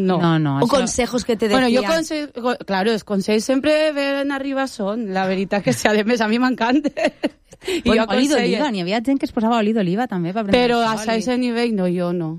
no. O consejos que te decían. Bueno, claro, els consells sempre ben arriba són, la veritat que si a més a mi m'encanta. Bueno, oli d'oliva, n'hi havia gent que es posava oli d'oliva també per prendre però a ese nivell no, jo no.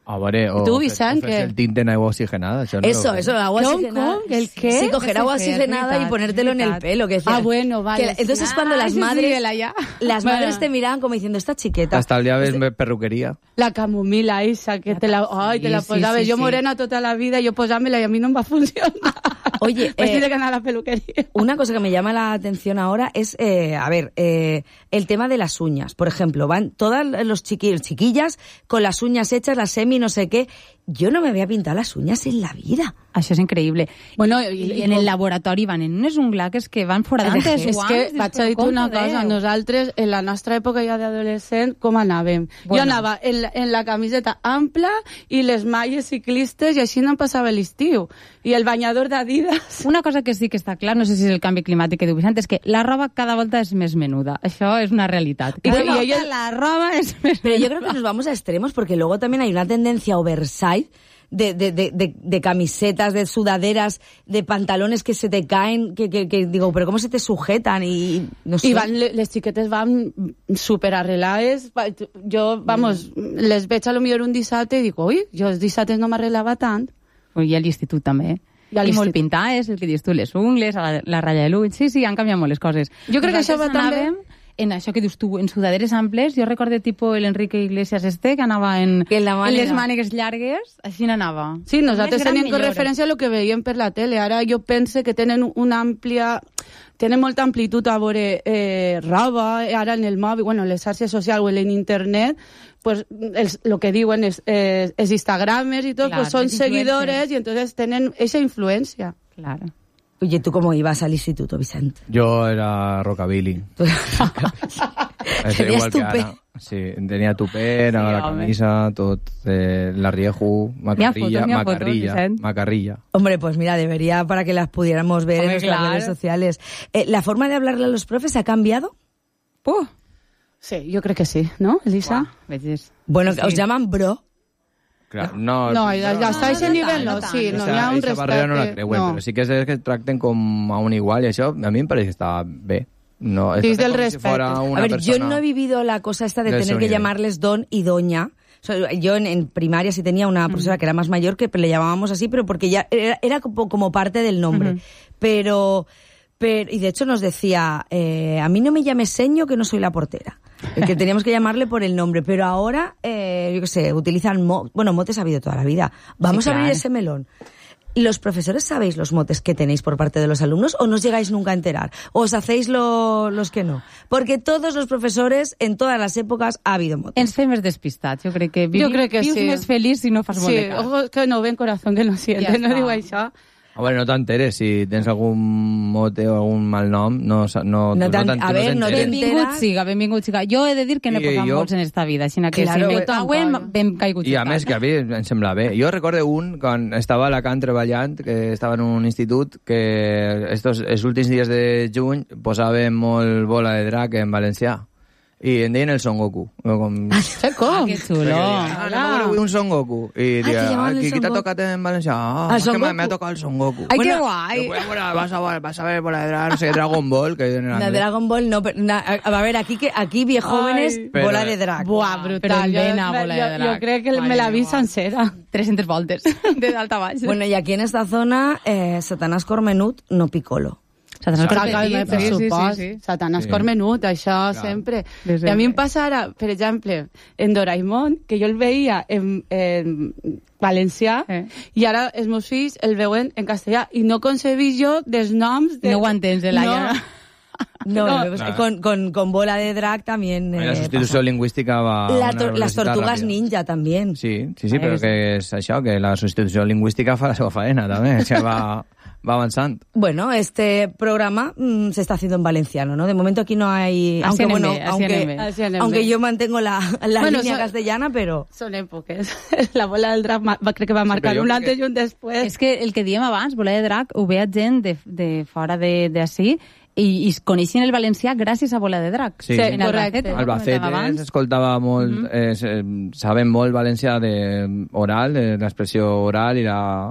A veure, o tu, Vicent, fes el tint en agua oxigenada. Eso, agua oxigenada. ¿El qué? Sí, coger agua oxigenada y ponértelo en el pelo. Que bueno, vale. Entonces cuando las madres te miraban como diciendo, esta chiqueta. Hasta el día ves perruquería. La camomila esa, que te la posava. Jo morena tota la vida, jo posàmela i a mi no em va funcionar. Oye, pues tiene que anar a la peluquería. Una cosa que me llama la atención ahora es, el tema de las uñas. Por ejemplo, van todas los chiquillas con las uñas hechas, las semi no sé qué. Yo no me había pintado las uñas en la vida. Això és increïble. Bueno, i en el laboratori van en unes unglaques que van foradant els És guants. que vaig a dir una cosa, nosaltres en la nostra època ja d'adolescent, com anàvem? Bueno. Jo anava en la camiseta ampla i les malles ciclistes i així no em passava l'estiu. I el banyador d'Adidas. Una cosa que sí que està clar, no sé si és el canvi climàtic que diu Vicent, és que la roba cada volta és més menuda. Això és una realitat. La roba es més Pero yo creo que nos vamos a extremos porque luego también hay una tendencia oversize de camisetas, de sudaderas, de pantalones que se te caen, que digo, pero ¿cómo se te sujetan? Y no sé. I les xiquetes van super arreglades. Jo, les veig a lo millor un dissabte i dic, ui, jo els dissabtes no m'arreglava tant. I a l'institut també. I molt pintades, el que dius tu, les ungles, la ratlla de l'ull. Sí, han canviat molt les coses. Jo crec que això va també... En això que dius tu, en sudaderes amples, jo recordo tipus l'Enrique Iglesias que anava en les mànigues llargues, així n'anava. Sí, nosaltres tenim com referència a lo que veiem per la tele. Ara jo pense que tenen molta amplitud a veure roba, ara en el mòbil, bueno, en les xarxes socials o en internet, pues lo que diuen els Instagramers i tot, pues són seguidores i entonces tenen esa influència. Claro. Oye, ¿tú cómo ibas al instituto, Vicente? Yo era rockabilly. ¿Tenías tupé? Sí, tenía tupé, la camisa, tot, la rieju, macarrilla. Hombre, pues mira, debería para que las pudiéramos ver en nuestras redes sociales. ¿La forma de hablarle a los profes ha cambiado? Sí, yo creo que sí, ¿no, Elisa? Bueno, ¿os llaman bro? Claro, no, hasta ese nivell no, sí, no hi ha un respecte. Barrera no la creuen, però sí que és que tracten com a un igual i això a mi em pareix que està bé. No, és del respecte. A ver, yo no he vivido la cosa esta de tener que llamarles don y doña. O sea, yo en primaria sí tenía una profesora que era más mayor que le llamábamos así, pero porque ya era como parte del nombre. Pero y de hecho nos decía, a mí no me llames seño que no soy la portera. Que teníamos que llamarle por el nombre, pero ahora, yo qué sé, utilizan motes ha habido toda la vida. Vamos a abrir ese melón. ¿Los profesores sabéis los motes que tenéis por parte de los alumnos o no os llegáis nunca a enterar? ¿O os hacéis los que no? Porque todos los profesores, en todas las épocas, ha habido motes. Ens fem més despistats, jo crec que vius més feliç si no fas molt de cas. Sí, ojos que no ven, corazón que no siente, no diu això. A veure, no t'enteres, si tens algun mote o algun mal nom, no benvingut siga. Jo he de dir que n'he posat molts en esta vida, així que si m'ho touen, ben caigut. I a més, que a mi em sembla bé. Jo recordo un, quan estava a Alacant treballant, que estava en un institut, que els últims dies de juny posaven molt bola de drac en valencià. I em deien el Son Goku. Com? Que xulo. Avui un Son Goku. I deia, qui t'ha tocat en valencià? És que m'ha tocat el Son Goku. Ai, que guai. Vas a ver bola de drac, no sé, Dragon Ball. La Dragon Ball no, a ver, aquí viejóvenes, bola de drac. Buah, brutal. Jo crec que me la vi sencera. 300 voltes, de dalt a baix. Bueno, y aquí en esta zona, Satanàs Cormenut, no Piccolo. Satanàs Cormenut, això sempre. I a mi em passa ara, per exemple, en Doraemon, que jo el veia en valencià, i ara els meus fills el veuen en castellà, i no concebís jo dels noms... No ho entens, Laia. No, con bola de drag también... La sustitució lingüística va... Las tortugas ninja también. Sí, però que és això, que la substitució lingüística fa la seva faena, també, que va avanzando. Bueno, este programa se está haciendo en valenciano, ¿no? De momento aquí no hay... Aunque yo mantengo la línea castellana, pero... Son èpoques. La bola del drac crec que va marcar un antes i un després. És que el que diem abans, bola de drac, ho veia gent de fora d'ací, i coneixien el valencià gràcies a Bola de Drac. Sí, correcte. Albacete s'escoltava molt, saben molt valencià oral, l'expressió oral i la